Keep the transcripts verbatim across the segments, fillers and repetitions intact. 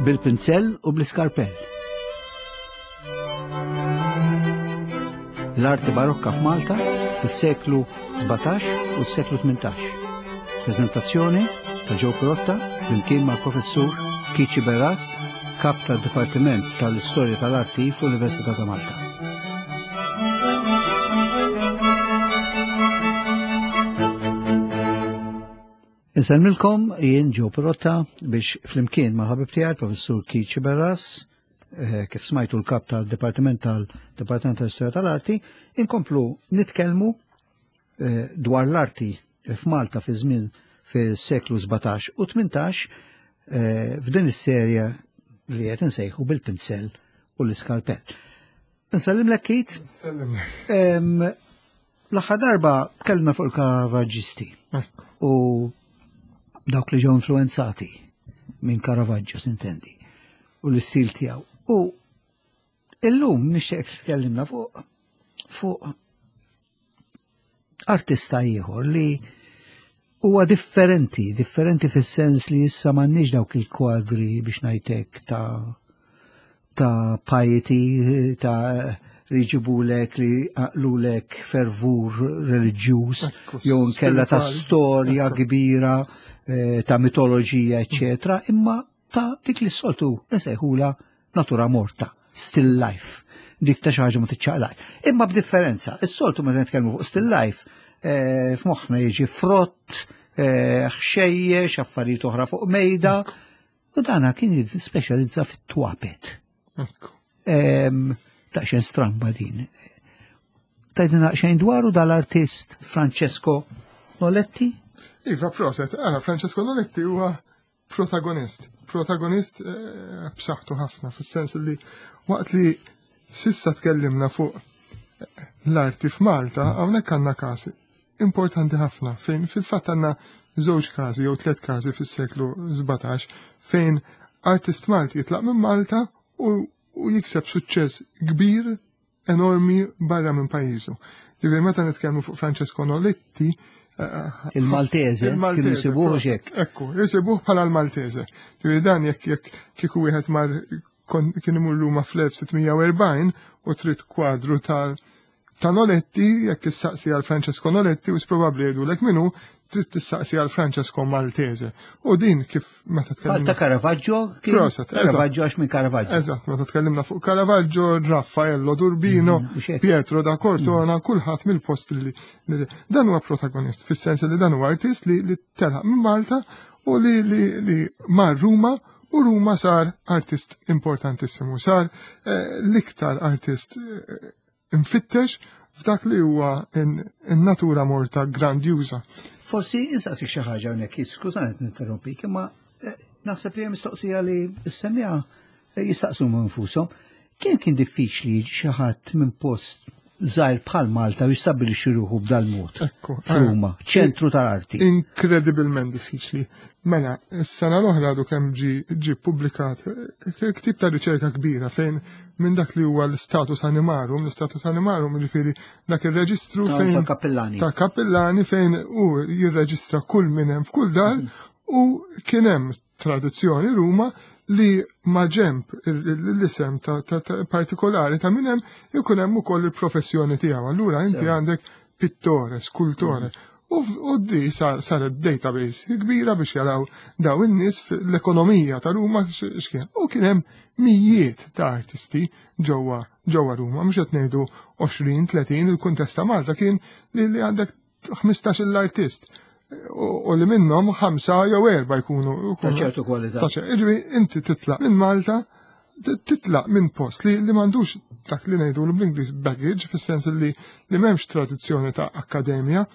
Bil-pinzell u bl-iskarpell. L-arti barokka f'Malta fis-seklu sbatax u s-seklu tmintax. Prezentazzjoni ta' Joe Pirotta flimkien mal-professur Keith Sciberras, kap tad-Dipartiment tal-Istorja tal-Arti fl-Università ta' Malta. Insellmilkom jien Joe Pirotta biex flimkien ma' ħabib tiegħi professur Keith Sciberras, eh, kif smajtu l-kap tal-Dipartiment tal-Dipartiment tal-Istorja tal-Arti, inkomplu nitkellmu, eh, dwar l-arti f'Malta fi żmien fis-seklu sbatax u tmintax, eh, f'din is-serje li qed insejħu bil-pinzell u l-iskalpell. Nsellimlek Keith. Nsellimlek. Em, l-aħħar darba tkellimna fuq il-Caravaggisti Ekku. u dawk li ġew influenzati minn Caravaggio, s'intendi, u l-istil tiegħu. U illum nixtieq tkellimna fuq, fuq artista ieħor li huwa differenti, differenti fis-sens li issa m'għandniex dawk il-kwadri biex ngħidlek ta', ta' piety, ta' li jġibulek, li għaqlulek fervur reliġjuż, Ekku, jew nkella ta' spirituali. storja Ekku. kbira, eh, ta' mitoloġija, eccetera, imma ta' dik li s-soltu nsejħula natura morta, still life, dik ta' xi ħaġa ma tiċċaqlaq. Imma b'differenza, is-soltu meta nitkellmu fuq still life, eh, f'moħħna jiġi frott, eh, ħxejjex, affarijiet oħra fuq mejda, u dana kien jispeċjalizza fit-twapet. Ekku. Em, Daqsxejn stramba din. Tgħidilna xejn dwaru dal-artist Francesco Noletti? Iva, proset. Ara, Francesco Noletti huwa protagonist. Protagonist, eh, b'saħħtu ħafna, fis-sens li waqt li sissa tkellimna fuq l-arti f'Malta, hawnhekk għandna każ importanti ħafna fejn fil-fatt għandna żewġ każi jew tliet każi fis-seklu sbatax fejn artist Malti jitlaq minn Malta u, u jikseb suċċess kbir enormi barra minn pajjiżu. Ġifieri meta nitkellmu fuq Francesco Noletti, eh, Il-Maltese, il-Maltese, kienu jsibuh proset. xek. Ekku, jsibuh bħala l-Maltese. Ġifieri dan jekk jekk kieku wieħed mar kon, kien imur Ruma fl-elf sitt mija u erbgħin u trid kwadru ta' ta' Noletti, jekk issaqsi għal Francesco Noletti, u probabbli jgħidulek minnu, trid tissaqsi għal Francesco Maltese. U din kif meta Bħal tkellimna ta' Caravaggio? Kien Proset, eżatt. Caravaggio għax minn Caravaggio. Eżatt, meta tkellimna fuq Caravaggio, Raffaello d'Urbino, Mm, mhux hekk. Pietro da Cortona, kulħadd mill-post li, li dan huwa protagonist, fis-sens li dan huwa artist li, li telaq minn Malta u li, li, li mar Ruma, u Ruma sar artist importantissimu, sar, eh, l-iktar artist, eh, imfittex f'dak li huwa in-natura morta grandjuża. Forsi insaqsik xi ħaġa hawnhekk, skużani qed ninterrompik, imma, eh, naħseb li hemm mistoqsija li s-semmiegħa, eh, jistaqsu minn nfushom. Kemm kien diffiċli jiġi xi ħadd minn post żgħir bħal Malta u jistabbilixxi ruħu b'dal-mod Ekku, f'Ruma, eh, ċentru tal-arti? Inkredibilment diffiċli. Mela, s-sena l-oħra għadu kemm ġi, ġi publikat, eh, ktib ta' riċerka kbira fejn minn dak li huwa l-status animarum, l-status animarum jiġifieri dak ir-reġistru Ta' fejn ta' kappellani. Ta' kappellani fejn hu jirreġistra kull minn hemm f'kull dar, Mhm. u kien hemm tradizzjoni Ruma li ma ġemp l-isem ta', ta, ta' partikolari ta' minn hemm ikun hemm ukoll il-professjoni tiegħu. Allura inti Sew. għandek pittore, skultore. U f-, u di sar-, saret database kbira biex jaraw daw in-nies fl-ekonomija ta' Ruma x-, x'kien. U kien hemm mijiet ta' artisti ġewwa, ġewwa Ruma, mhux qed ngħidu għoxrin, tletin, il-kuntest ta' Malta kien li, li għandek ħmistax l-artist. U, u li minnhom ħamsa jew erba' jkunu, Ta' ċertu kwalità. Ta' ċertu. Jiġifieri inti titlaq minn Malta, t-, titlaq minn post li, li m'għandux dak li ngħidu bl-Ingliż baggage, fis-sens li, li m'hemmx tradizzjoni ta' akkademja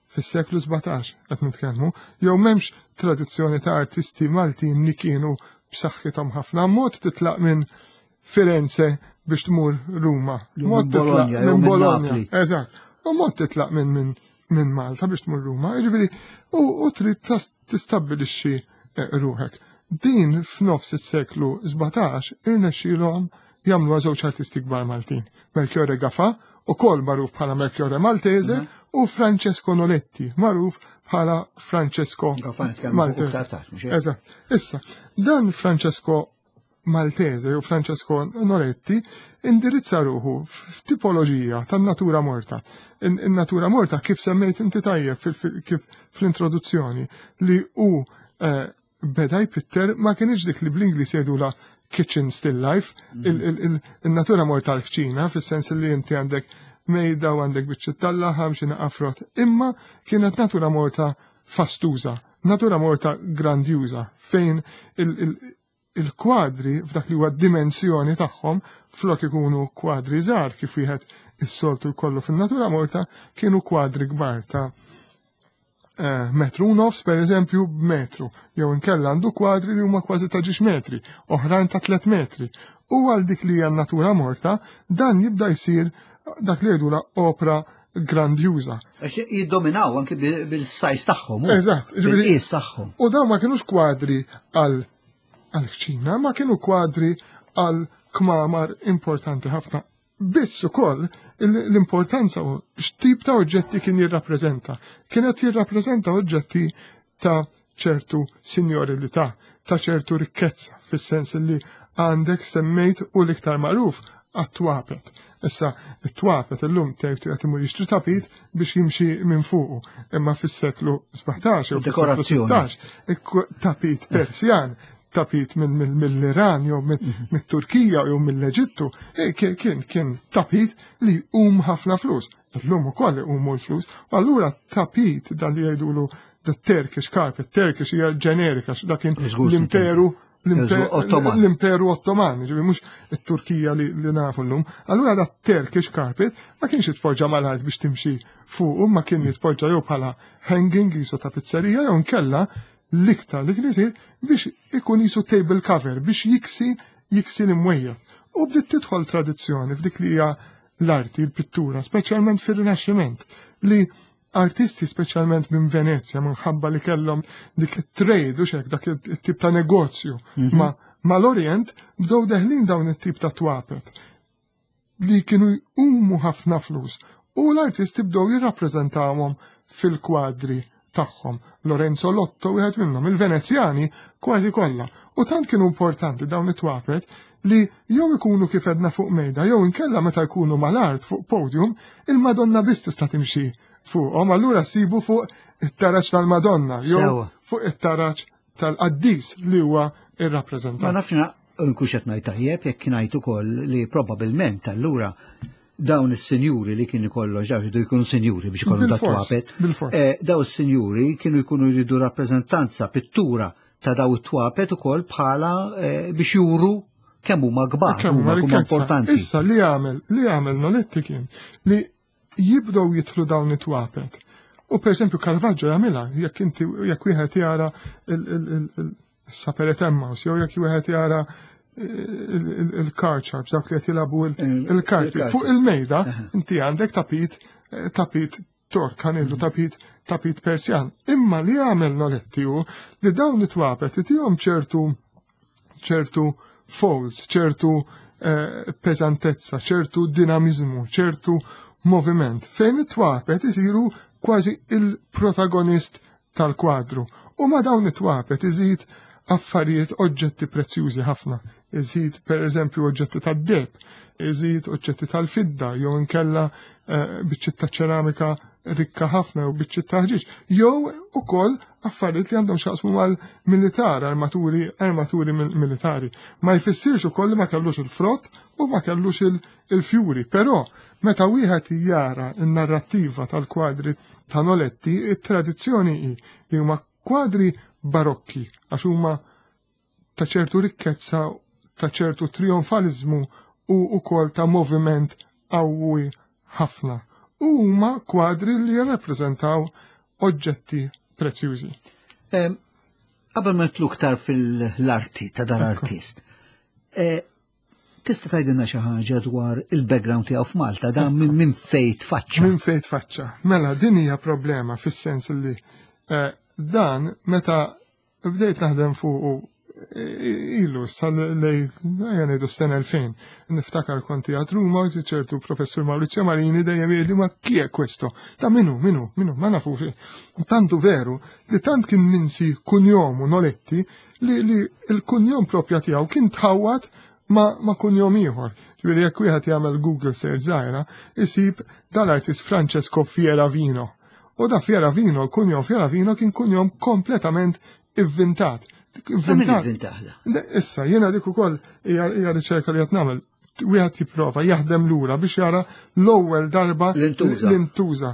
fis-seklu sbatax qed nitkellmu, jew m'hemmx tradizzjoni ta' artisti Maltin li kienu b'saħħithom ħafna. Mod titlaq minn Firenze biex tmur Ruma. Jew Mod minn titlaq Bologna, jew minn minn Bologna. Napli. Eżatt. U mod titlaq minn, minn, minn Malta biex tmur Ruma. Jiġifieri, u, u trid tas-, tistabbilixxi, eh, ruħek. Din f'nofs is-seklu sbatax irnexxielhom jagħmluha żewġ artisti kbar Maltin. Melchiorre Gafà, ukoll magħruf bħala Melchiorre Maltese, Mhm. u Francesco Noletti, magħruf bħala Francesco Gafà nitkellmu fuq Maltese. iktar tard, mhux hekk? Eżatt. Issa, dan Francesco Maltese jew Francesco Noletti indirizza ruħu f'tipoloġija tan-natura morta. In-natura morta kif semmejt inti tajjeb kif fl-introduzzjoni li hu eh, beda jpitter ma kienx dik li bl-Ingliż jgħidula kitchen still life, il-natura morta l-kċina, fis-sens li inti għandek mejda u għandek biċċiet tal-laħam xi naqafrot, imma kienet natura morta fastuża, natura morta grandjuża, fejn il-kwadri f'dak li huwa dimensjoni tagħhom flok ikunu kwadri żgħar kif wieħed is-soltu jkollu fin-natura morta kienu kwadri kbar ta' eh, metru u nofs per eżempju b'metru, jew inkella għandu kwadri li huma kważi ta' ġiex metri, oħrajn ta' tliet metri. U għal dik li hija natura morta, dan jibda jsir dak li jgħidula opra grandjuża. Għax jiddominaw anki bil-size tagħhom. Eżatt, bil-qies tagħhom. U dawn ma kienux kwadri għal għal-kċina, ma kienu kwadri għal kmamar importanti ħafna. Biss ukoll l-importanza u x'tip ta' oġġetti kien jirrappreżenta. Kienet jirrappreżenta oġġetti ta' ċertu signorilità, ta' ċertu rikkezza, fis-sens li għandek semmejt u l-iktar magħruf għat-twapet. Issa, it-twapet illum tgħid qed imur jixtri tapit biex jimxi minn fuqu, imma fis-seklu sbatax jew fis-seklu sittax, tapit Persjan, tapit mill-Iran jew mit-Turkija jew mill-Eġittu, e, kien kien tapit li um ħafna flus. Illum ukoll umu l-flus. U allura tapit dan li jgħidulu the Turkish carpet, Turkish hija ġenerika, dak kien l-imperu l-Imperu Ottoman, ġifieri mhux it-Turkija li, li nafu llum. Allura da Turkish carpet ma kienx jitpoġġa mal-art biex timxi fuq, ma kien jitpoġġa jew bħala hanging jisu ta' pizzerija jew nkella l-iktar li kien isir biex ikun jisu table cover biex jiksi jiksi l-imwejjed. U bdiet tidħol tradizzjoni f'dik li hija l-arti, l-pittura, speċjalment fir-Rinaxximent, li artisti speċjalment minn Venezja minħabba li kellhom dik it-trade u xek dak it-tip ta' negozju mhm. ma mal-Orient bdew deħlin dawn it-tip ta' twapet li kienu jqumu ħafna flus u l-artisti bdew jirrappreżentawhom fil-kwadri tagħhom. Lorenzo Lotto wieħed minnhom, il-Venezjani kważi kollha. U tant kienu importanti dawn it-twapet li jew ikunu kif edna fuq mejda, jew inkella meta jkunu mal-art fuq podium, il-Madonna biss tista' timxi fuqhom, allura sibu fuq it-taraġ tal-Madonna, jew fuq it-taraġ tal-qaddis li huwa ir-rappreżentant. Ma nafx nkunx qed ngħid tajjeb jekk ngħid ukoll li probabbilment allura dawn is-sinjuri li kienu kollox, dawn jridu jkunu sinjuri biex ikollhom dat twapet. Eh, dawn is-sinjuri kienu jkunu jridu rappreżentanza, pittura ta' daw it-twapet ukoll bħala eh, biex juru kemm huma kbar, kemm huma importanti. Issa li għamel, li għamel Noletti kien li jibdew jidħlu dawn it-twapet. U per esempio Caravaggio jagħmilha, jekk inti jekk wieħed jara il-Supper at Emmaus, jew jekk wieħed jara il-card sharps, dawk li qed jilagħbu il-karti. Fuq il-mejda inti għandek tapit tapit Tork, ħanillu tapit tapit Persjan. Imma li għamel Noletti hu li dawn it-twapet itihom ċertu ċertu folds, ċertu eh, pesantezza, ċertu dinamizmu, ċertu moviment, fejn it-twapet isiru kważi il-protagonist tal-kwadru. U ma dawn it-twapet iżid affarijiet oġġetti prezzjużi ħafna. Iżid per eżempju oġġetti tad-deheb, iżid oġġetti tal-fidda, jew inkella eh, biċċiet ta' ċeramika rikka ħafna jew biċċiet ta' ħġieġ, jew ukoll affarijiet li għandhom x'jaqsmu mal-militar, armaturi, armaturi militari. Ma jfissirx ukoll li ma kellux il-frott u ma kellux il-fjuri, però meta wieħed jara n-narrattiva tal-kwadri ta' Noletti, it-tradizzjoni hi li huma kwadri barokki, għax huma ta' ċertu rikkezza, ta' ċertu trionfalizmu u ukoll ta' moviment qawwi ħafna. U huma kwadri li jirrappreżentaw oġġetti prezzjużi. Qabel ma nitlu iktar fil-arti ta' dan artist, eh, tista' tgħidilna xi ħaġa dwar il-background tiegħu f'Malta, dan minn fejn tfaċċa? Minn fejn tfaċċa. Mela, din hija problema fis-sens li eh, dan meta bdejt naħdem fuq ilu sal-lej, ngħidu s-sena elfejn. Niftakar konti għad Ruma, ċertu professur Maurizio Marini dejjem jgħidli ma chi è questo? Ta' minu, minu, minu, ma nafu. Tantu veru li tant kien minsi kunjomu Noletti li, li l-kunjom propja tiegħu kien tħawwad ma, ma kunjom ieħor. Ġifieri jekk wieħed jagħmel Google search żgħira, isib dal-artist Francesco Fieravino. U da Fieravino, l-kunjom Fieravino kien kunjom kompletament ivvintat. Ivvintat. Issa, jiena dik ukoll hija riċerka li qed nagħmel. Wieħed jipprova jaħdem lura biex jara l-ewwel darba l-intuża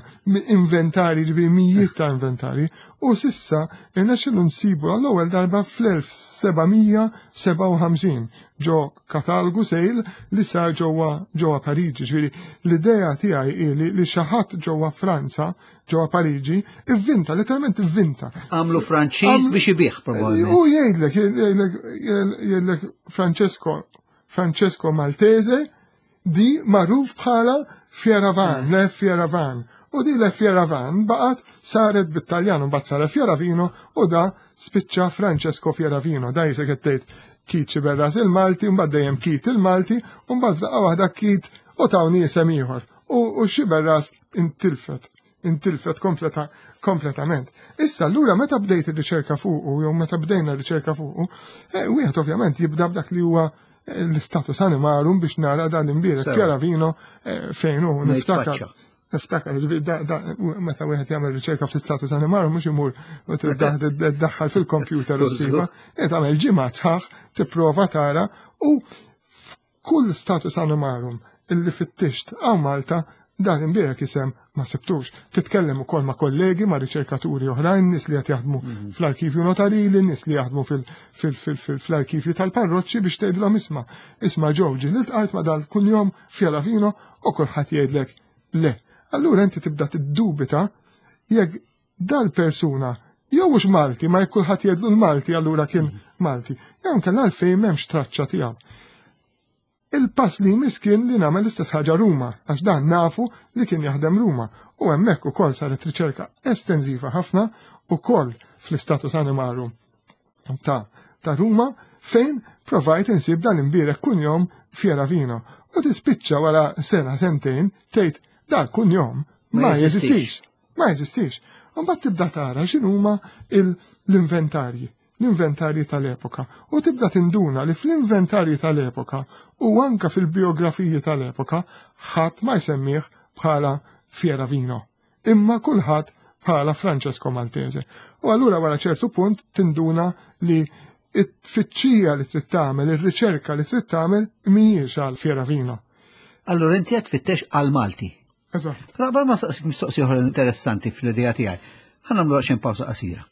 inventari, ġifieri mijiet ta' inventari, u sissa irnexxielu nsibu għall-ewwel darba fl-elf seba' mija sebgħa u ħamsin ġo katalgu sejl li sar ġewwa ġewwa Pariġi. Ġifieri l-idea tiegħi hi li, li xi ħadd ġewwa Franza, ġewwa Pariġi, ivvinta, letteralment ivvinta. Għamlu Franċiż biex ibih probabbilment. U jgħidlek, jgħidlek, jgħidlek Francesco Francesco Maltese di magħruf bħala Fieravan, Le Fieravan. U di Le Fieravan baqgħet saret bit-Taljan u mbagħad saret Fieravino u da spiċċa Francesco Fieravino. Da jisek qed tgħid Keith Sciberras il-Malti, mbagħad dejjem Keith il-Malti, u mbagħad daqqa waħda Keith u tawni isem ieħor. U Sciberras intilfet, intilfet kompleta, kompletament. Issa allura meta bdejt ir-riċerka fuqu, jew meta bdejna r-riċerka fuqu, eh, wieħed ovvjament jibda b'dak li huwa l-istatus animarum biex nara dan imbierek Fieravino fejn hu niftakar. Niftakar, meta wieħed jagħmel riċerka fl-istatus animarum mhux imur u tiddaħħal fil-kompjuter u ssiba, qed tagħmel ġimgħa sħaħ tipprova tara u f'kull status animarum illi fittixt hawn Malta dan imbierek isem ma sibtux. Titkellem ukoll ma' kollegi, ma' riċerkaturi oħrajn, nies li qed jaħdmu fl-arkivju notarili, nies li jaħdmu fl-arkivju tal-parroċċi biex tgħidilhom isma' isma' ġew ġieli ltqajt ma' dal kunjom Fieravino u kulħadd jgħidlek le. Allura inti tibda tiddubita jekk dal-persuna jew hux Malti, ma jekk kulħadd jgħidlu l-Malti allura kien Malti. Jew inkella għalfejn m'hemmx traċċa tiegħu. Il-pass li jmiss kien li nagħmel l-istess ħaġa Ruma, għax dan nafu li kien jaħdem Ruma. U hemmhekk ukoll saret riċerka estensiva ħafna ukoll fl-istatus animarum ta', ta' Ruma fejn provajt insib dan imbierek kunjom Fieravino. U tispiċċa wara sena sentejn tgħid dal kunjom ma jeżistix. Ma jeżistix. U mbagħad tibda tara x'inhuma l-inventarji. L-inventarji tal-epoka. U tibda tinduna li fl-inventarji tal-epoka u anka fil-biografiji tal-epoka ħadd ma jsemmih bħala Fieravino, imma kulħadd bħala Francesco Maltese. U allura wara ċertu punt tinduna li it-tfittxija li trid tagħmel, ir-riċerka li trid tagħmel mhijiex għal Fieravino. Allura inti qed tfittex għal Malti. Eżatt. Però qabel ma staqsik mistoqsija oħra interessanti fl-idea tiegħi, ħa nagħmlu xi pawsa qasira.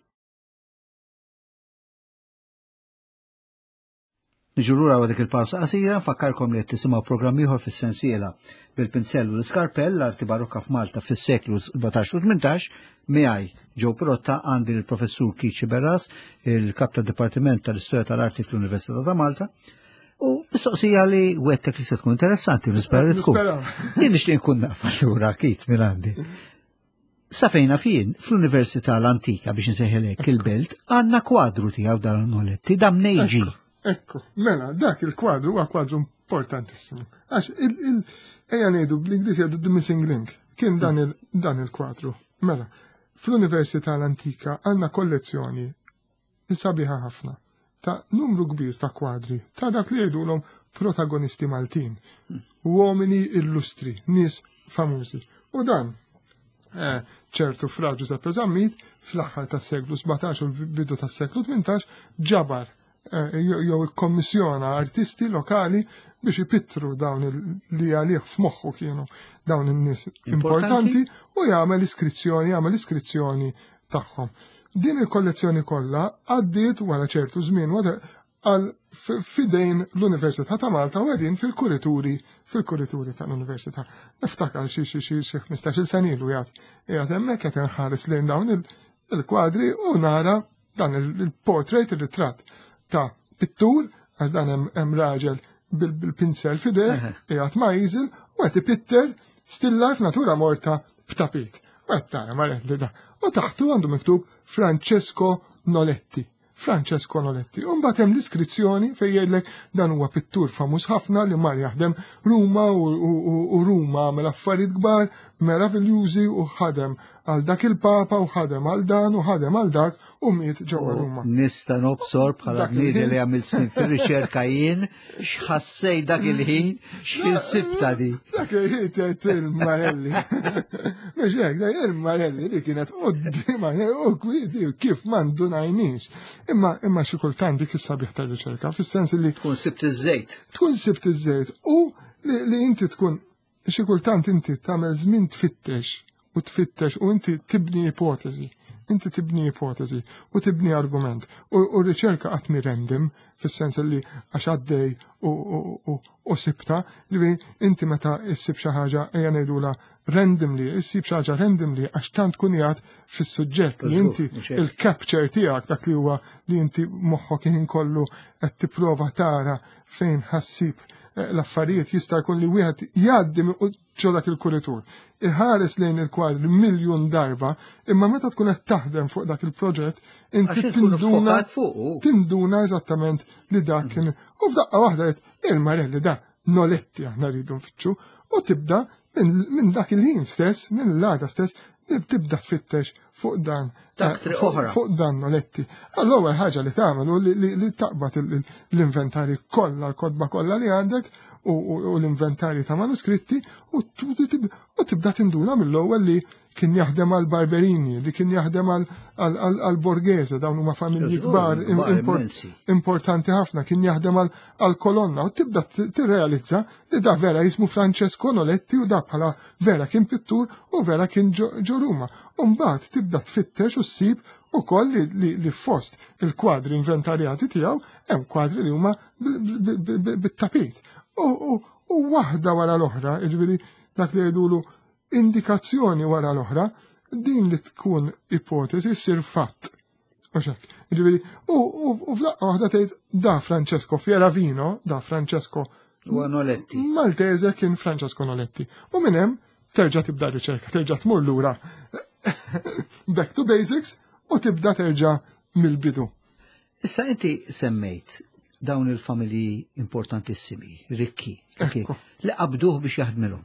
Niġu lura dik il-pawsa qasira, nfakkarkom li qed tisimgħu programm ieħor fis-sensiela bil-pinzell u l-iskarpell l-arti barokka f'Malta fis-seklu sbatax u tmintax, miegħi Joe Pirotta għandi l-professur Keith Sciberras, il-kap tad-Dipartiment tal-Istorja tal-Arti fl-Università ta' Malta. U mistoqsija li wettek li se tkun interessanti, nispera li tkun. Jien nixtieq nkun naf allura Keith minn għandi. Sa fejna fien, fl-Università l-Antika biex nsejħilek il-belt, għandna kwadru tiegħu dan Noletti, dan mnejn ġie. Ekku, mela, dak il-kwadru huwa kwadru importantissimu. Għax ejja ngħidu bl-Ingliż jgħidu the missing link, kien dan il-, il-kwadru. Mela, fl-Università l-Antika għandna kollezzjoni sabiħa ħafna ta' numru kbir ta' kwadri ta' dak li jgħidulhom protagonisti Maltin, uomini illustri, nies famużi. U dan eh, ċertu Fra Giuseppe Zammit fl-aħħar tas-seklu sbatax u l-bidu tas-seklu tmintax ġabar eh, jew ikkommissjona artisti lokali biex ipittru dawn li għalih f'moħħu kienu dawn in-nies importanti u jagħmel iskrizzjoni, jagħmel iskrizzjoni tagħhom. Din il-kollezzjoni kollha għaddiet wara ċertu żmien għal fidejn l-Università ta' Malta u qegħdin fil-kurituri, fil-kurituri tal-Università. Niftakar xi xi xi xi ħmistax-il sena ilu jgħid qiegħed hemmhekk qed inħares lejn dawn il-kwadri u nara dan il-portrait, il-ritratt ta' pittur, għax dan hemm raġel bil-pinsel f'idejh, qiegħed ma' easel u qed ipitter still life natura morta b'tapit. U qed tara ma li da. U taħtu għandu miktub Francesco Noletti. Francesco Noletti. U mbagħad hemm l-iskrizzjoni fejn jgħidlek dan huwa pittur famuż ħafna li mar jaħdem Ruma u, u, u, u Ruma għamel affarijiet kbar meraviljużi u ħadem għal dak il-papa u ħadem għal dan u ħadem għal dak u miet ġewwa Ruma. Nista' nobsor bħala bniedem li għamilt snin fir-riċerka jien, x'ħassej dak il-ħin, x'ħin sibta di. Dak il-ħin tgħid il-Marelli. Mhux hekk, il-Marelli li kienet quddiem u kwidi kif ma ndunajniex. Imma imma xi kultant dik is-sabiħ tar-riċerka, fis-sens li tkun sibt iż-żejt. Tkun sibt iż-żejt u li inti tkun xi kultant inti tagħmel żmien tfittex u tfittex u inti tibni ipotezi, inti tibni ipotezi u tibni argument u r-riċerka qatt mi random fis-sens li għax għaddej u sibta li inti meta issib xi ħaġa ejja ngħidula randomly, issib xi ħaġa randomly għax tant tkun qiegħed fis-suġġett li inti il-capture tiegħek dak li huwa li inti moħħok ħin kollu qed tipprova tara fejn ħassib l-affarijiet jista' jkun li wieħed jgħaddi ġo dak il-kuritur. Iħares lejn il-kwadri miljun darba, imma meta tkun qed taħdem fuq dak il-proġett, inti tinduna tinduna eżattament li dak kien. U f'daqqa waħda qed il-Marelli da Noletti aħna rridu nfittxu u tibda minn dak il-ħin stess, minn l-għada stess, tibda tfittex fuq dan fuq dan Noletti. Allura ħaġa li tagħmel u li taqbad l-inventari kollha, l-kotba kollha li għandek u l-inventari ta' manuskritti u tibda tinduna mill-ewwel li kien jaħdem għal Barberini, li kien jaħdem għal Borghese, dawn huma familji kbar importanti ħafna, kien jaħdem għal Colonna u tibda tirrealizza li da vera jismu Francesco Noletti u da bħala vera kien pittur u vera kien ġo Ruma. U mbagħad tibda tfittex u ssib ukoll li fost il-kwadri inventarjati tiegħu hemm kwadri li huma bit-tapit. U waħda wara l-oħra, jiġifieri dak li jgħidulu indikazzjoni wara l-oħra, din li tkun ipotezi ssir fatt. Jiġifieri, u f'daqqa waħda tgħid da Francesco Fieravino, da Francesco Noletti. Maltese kien Francesco Noletti. U minn hemm terġa' tibda riċerka, terġa' tmur lura back to basics u tibda terġa' mill-bidu. Issa inti semmejt dawn il-familji importantissimi, rikki, li qabduh biex jaħdmilhom.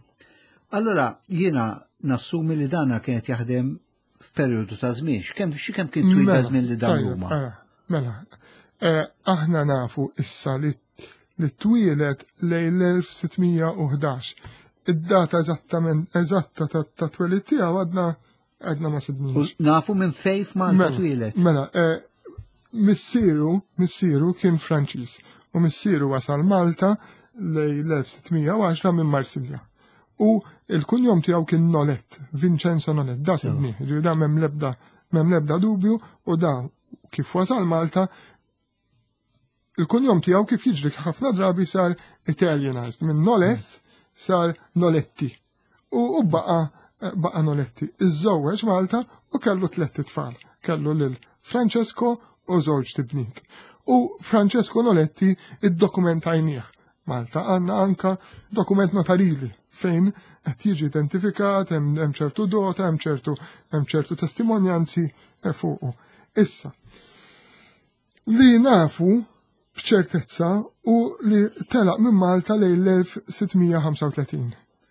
Allora jiena nassumi li dana kienet jaħdem f'perjodu ta' żmien, x'kemm x'kemm kien twil ta' żmien li dan huma. Mela, aħna nafu issa li li twielet lejn l-elf sittmija u ħdax. Id-data eżattament eżatta ta' twelid tiegħu għadna għadna ma sibniex. Nafu minn fejn f'Malta twielet. Mela, missieru, missieru kien Franċiż u missieru wasal Malta lejn l-elf sittmija u għaxra minn Marsilja. U il-kunjom tiegħu kien Nolet, Vincenzo Nolet, da sibnieh, ġifieri da m'hemm lebda m'hemm lebda dubju u da kif wasal Malta il-kunjom tiegħu kif jiġri ħafna drabi sar Italianized, minn Nolet sar Noletti u baqa baqa Noletti. Iżżewweġ Malta u kellu tliet tfal, kellu lil Francesco u żewġ tibniet. U Francesco Noletti iddokumentajnieh. Malta għandna anka dokument notarili fejn qed jiġi identifikat, hemm ċertu dota, hemm ċertu hemm ċertu testimonjanzi fuqu. Issa, li nafu b'ċertezza u li telaq minn Malta lejn l-elf sittmija ħamsa u tletin.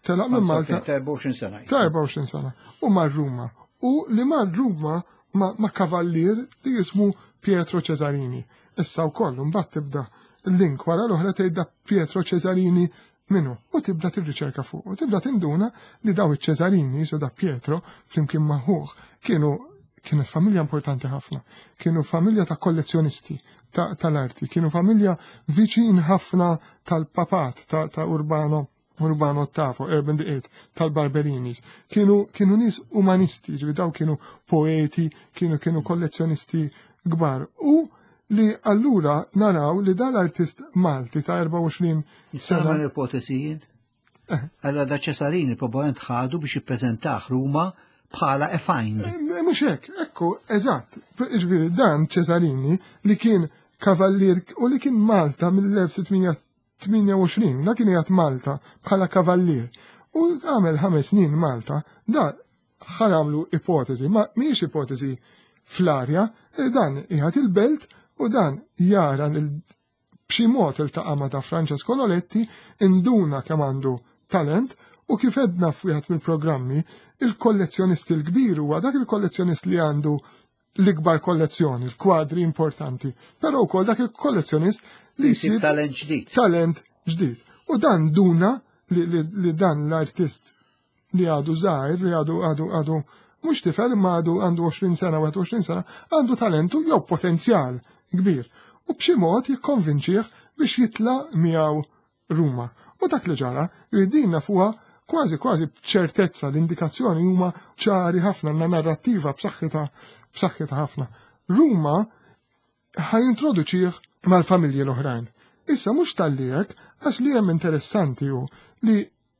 Telaq minn Malta ta' erbgħa u għoxrin sena. Ta' erbgħa u għoxrin sena. U mar Ruma. U li mar Ruma ma' kavallier li jismu Pietro Cesarini. Issa wkoll mbagħad tibda l-link wara l-oħra tgħid Pietro Cesarini minnu u tibda tirriċerka fuq u tibda tinduna li daw iċ-Cesarini, so da Pietro flimkien ma' ħuh, kienu kienet familja importanti ħafna, kienu familja ta' kollezzjonisti tal-arti, kienu familja viċin ħafna tal-papat ta', ta Urbano Urbano Ottavo, Urban the Eighth, tal-Barberinis. Kienu, kienu nies umanisti, ġifieri daw kienu poeti, kienu kienu kollezzjonisti kbar. U li allura naraw li dal-artist Malti ta' erbgħa u għoxrin sena. Nagħmel ipotesi jien? Allora da Cesarini probabbilment ħadu biex jippreżentah Ruma bħala a find. Mhux hekk, ekku, eżatt. Ġifieri dan Cesarini li kien kavallier u li kien Malta mill-elf sittmija tmienja u għoxrin, da kien qiegħed Malta bħala kavallier. U għamel ħames snin Malta, da ħanamlu ipotezi, ma mhijiex ipotezi fl-arja, dan qiegħed il-belt u dan jara b'xi mod iltaqa' ma' ta' Francesco Noletti, induna kemm għandu talent U kif għedna f'wieħed mill-programmi, il-kollezzjonist il-kbir huwa dak il-kollezzjonist li għandu l-ikbar kollezzjoni, l-kwadri importanti, però wkoll dak il-kollezzjonist li jsib talent ġdid. Talent ġdid. U dan duna li, li, li dan l-artist li għadu żgħir, li għadu għadu għadu mhux tifel imma għadu għandu għoxrin sena, wieħed u għoxrin sena, għandu talentu jew potenzjal kbir. U b'xi mod jikkonvinċih biex jitla' miegħu Ruma. U dak li ġara, li din nafuha kważi kważi b'ċertezza, l-indikazzjoni huma ċari ħafna, għandna narrattiva b'saħħitha b'saħħitha ħafna. Ruma ħa jintroduċih mal-familji l-oħrajn. Issa mhux talli hekk, għax li hemm interessanti hu li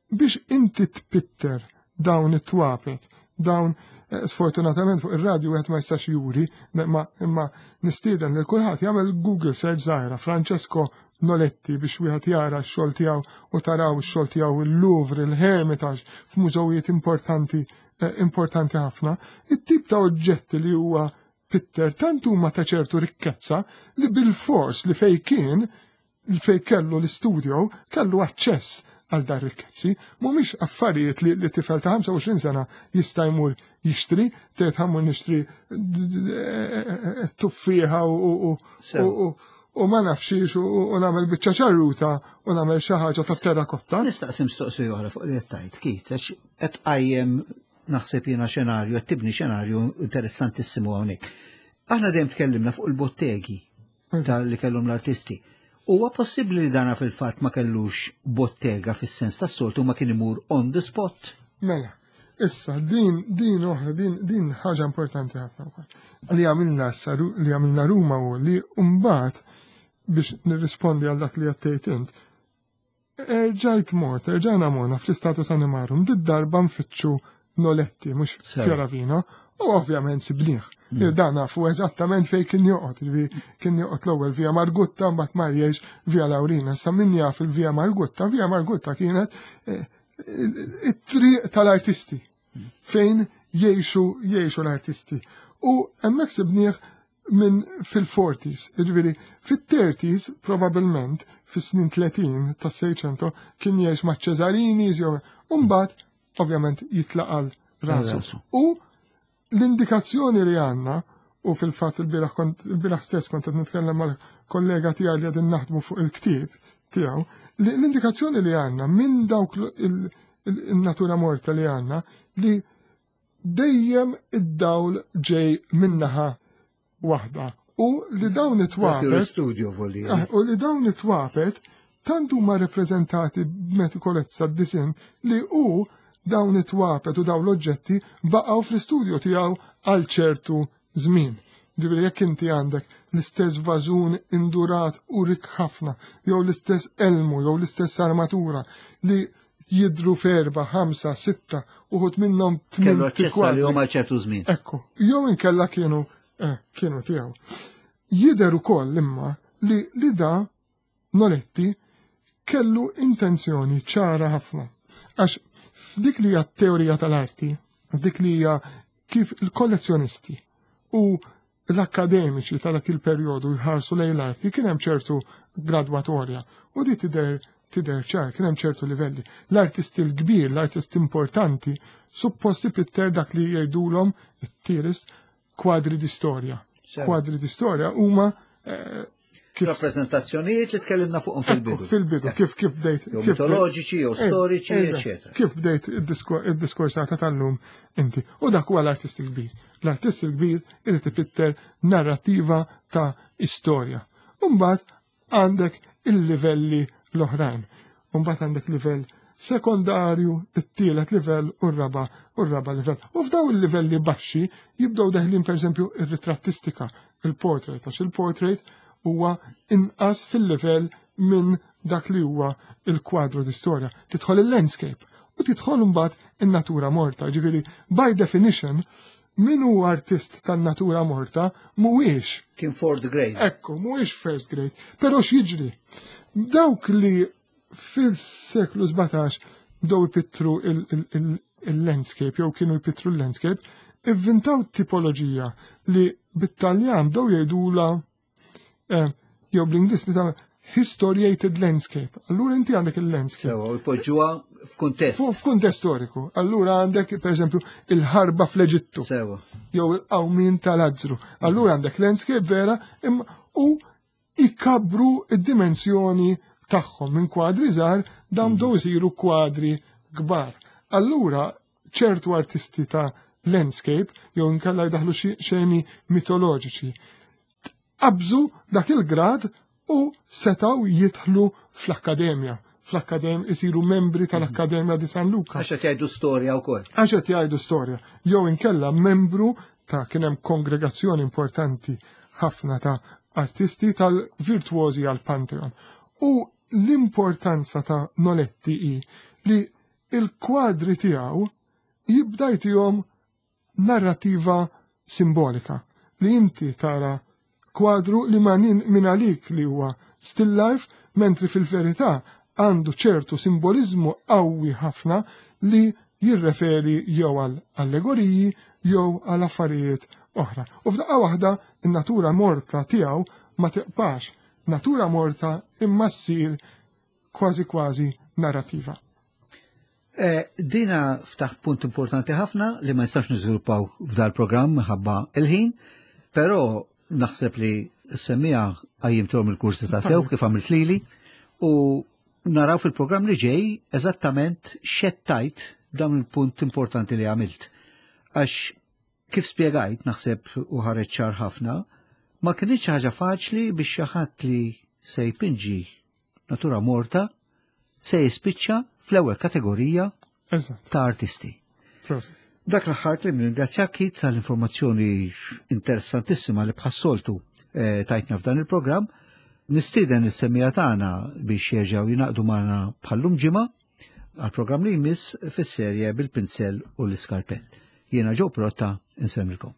biex inti tpitter dawn it-twapet, dawn eh, sfortunatament fuq ir-radju wieħed ma jistax juri, imma, imma nistieden lil kulħadd jagħmel Google search żgħira Francesco Noletti biex wieħed jara x-xogħol tiegħu u taraw ix-xogħol tiegħu il-Louvre, il-Hermitage, f'mużewijiet importanti, eh, importanti ħafna. It-tip ta' oġġetti li huwa pitter tant huma ta' ċertu rikkezza li bil-fors li fej kien, fej kellu l-istudio, kellu aċċess għal dar rikkezzi, mhumiex affarijiet li, li tifel ta' ħamsa u għoxrin sena jista' jmur jixtri, tgħid ħa mmur nixtri tuffieħa u, u, Sew. u, u, u ma nafxiex u, u nagħmel biċċa ċarruta u nagħmel xi ħaġa ta' terrakotta. Nistaqsi mistoqsija oħra fuq li qed tgħid, Keith, għax qed tqajjem naħseb jiena xenarju, qed tibni xenarju interessantissimu hawnhekk. Aħna dejjem tkellimna fuq il-bottegi ta' li kellhom l-artisti. Huwa possibbli li dana fil-fatt ma kellux bottega fis-sens tas-soltu, ma kien imur on the spot? Mela, issa din din oħra, din din ħaġa importanti ħafna wkoll. Li għamilna issa li għamilna Ruma u li mbagħad biex nirrispondi għal dak li għattejt int, erġajt mort, erġajna morna fl-Status Animarum, did darba nfittxu Noletti, mhux Sew. Fioravino, u ovvjament sibnieh. Mm. Dan nafu eżattament fej kien joqgħod, jiġifieri kien joqgħod l-ewwel Via Margutta, mbagħad mar jgħix Via Laurina. Sa min jaf il-Via Margutta, Via Margutta kienet eh, it-triq tal-artisti fejn jgħixu jgħixu l-artisti. U hemmhekk sibnieh minn fil-forties, jiġifieri fit-thirties probabilment fis-snin tletin tas-Seicento kien jgħix ma' Cesarini, jew u mbagħad ovvjament jitlaq għal rasu. Rasu. U l-indikazzjoni li għandna, u fil-fatt il-bieraħ kont, il-bieraħ stess kont qed nitkellem mal-kollega tiegħi li qegħdin naħdmu fuq il-ktieb tiegħu, li l-indikazzjoni li għandna minn dawk l-, il-, il-, il-natura morta li għandna li dejjem id-dawl ġej minnaħa waħda. U li dawn it-twapet L-studio volli. Ah, u li dawn it-twapet tant huma rappreżentati b'metikolezza d-disin li hu dawn it-twapet u dawn l-oġġetti baqgħu fl-istudio tiegħu għal ċertu żmien. Ġifieri jekk inti għandek l-istess vażun indurat u rik ħafna, jew l-istess elmu, jew l-istess armatura li jidru f'erba, ħamsa, sitta, uħud minnhom tmien Kellu aċċess kwadri. għalihom għal ċertu żmien. Ekku, jew inkella kienu, eh, kienu tiegħu. Jidher ukoll imma li, li da Noletti kellu intenzjoni ċara ħafna. Għax f'dik li hija teorija tal-arti, dik li hija kif il-kollezzjonisti u l-akademiċi ta' dak il-perjodu jħarsu lejn l-arti, kien hemm ċertu gradwatorja u di tidher tidher ċar, kien hemm ċertu livelli. L-artisti l-kbir, l-artisti importanti, supposti pitter dak li jgħidulhom it-theorist kwadri di storja. Sew. Kwadri di storja huma, eh, kif Rappreżentazzjonijiet li tkellimna fuqhom Ekku, fil-bidu. Fil-bidu, kif kif bdejt. Jew kif bdejt- mitoloġiċi, jew Eh, storiċi, eżatt. eċċetera. Kif bdejt id-disko- id-diskorsata tal-lum inti. U dak huwa l-artist il-kbir. L-artist il-kbir irid ipitter narrativa ta' istorja. Umbagħad għandek il-livelli l-oħrajn. Umbagħad għandek livell sekondarju, it-tielet livell u r-raba u r-raba livell. U f'daw il-livelli baxxi jibdew deħlin pereżempju ir-ritrattistika, il-portrait, għax il-portrait huwa inqas fil-livell minn dak li huwa il-kwadru di storja. Tidħol il-landscape u tidħol mbagħad in-natura morta. Ġifieri, by definition, min hu artist tan-natura morta mhuwiex Kien fourth grade. Ekku, mhuwiex first grade. Però x'jiġri? Dawk li fil-seklu sbatax bdew ipittru il-, il-, il-, il-landscape, jew kienu jpittru l-landscape, ivvintaw tipoloġija li bit-Taljan bdew jgħidula, eh, jew bl-Ingliż li ta' historiated landscape. Allura inti għandek il-landscape. Sewa, u jpoġġuha F'kuntest. F'kuntest storiku. Allura għandek, per eżempju, il-ħarba fl-Eġittu. Sewa. Jew il-qawmin tal-Azzru. Allura għandek landscape vera imma u ikabru id-dimensjoni tagħhom minn kwadri żgħar dawn bdew isiru kwadri kbar. Allura ċertu artisti ta' landscape jew inkella jdaħlu xi xeni mitoloġiċi. Qabżu dak il-grad u setaw jidħlu fl-akkademja. Fl-akkademja isiru membri tal-Akkademja di San Luca. Għax qed jgħidu storja wkoll. Għax qed jgħidu storja. Jew inkella membru ta' kien hemm kongregazzjoni importanti ħafna ta' artisti tal-virtuosi għal Pantheon. U l-importanza ta' Noletti hi li il-kwadri tiegħu jibda jtihom narrativa simbolika li inti tara kwadru li ma min għalik li huwa still life, mentri fil-verità għandu ċertu simbolizmu qawwi ħafna li jirreferi jew għal allegoriji jew għal affarijiet oħra. U f'daqqa waħda in-natura morta tiegħu ma tiqpax natura morta imma ssir kważi kważi narrativa. Eh, dina ftaħt punt importanti ħafna li ma nistax niżviluppaw f'dal programm minħabba il-ħin, però naħseb li semmija għajjimtom il-kursi ta' sew kif għamilt lili u naraw fil-programm li ġej eżattament xettajt dan il-punt importanti li għamilt. Għax kif spjegajt naħseb u ħareġ ċar ħafna, ma kienx ħaġa faċli biex xi ħadd li se jpinġi natura morta se jispiċċa fl-ewwel kategorija Eżatt. ta' artisti. Prosit. Dak l-aħħar li nirringrazzjak Keith tal-informazzjoni interessantissima li bħas-soltu eh, tajtna f'dan il-programm. Nistieden is-semmiegħa tagħna biex jerġgħu jingħaqdu magħna bħallum ġimgħa għal-programm li jmiss fis-serje bil-pinzell u l-iskarpell. Jiena Joe Pirotta insemmilkom.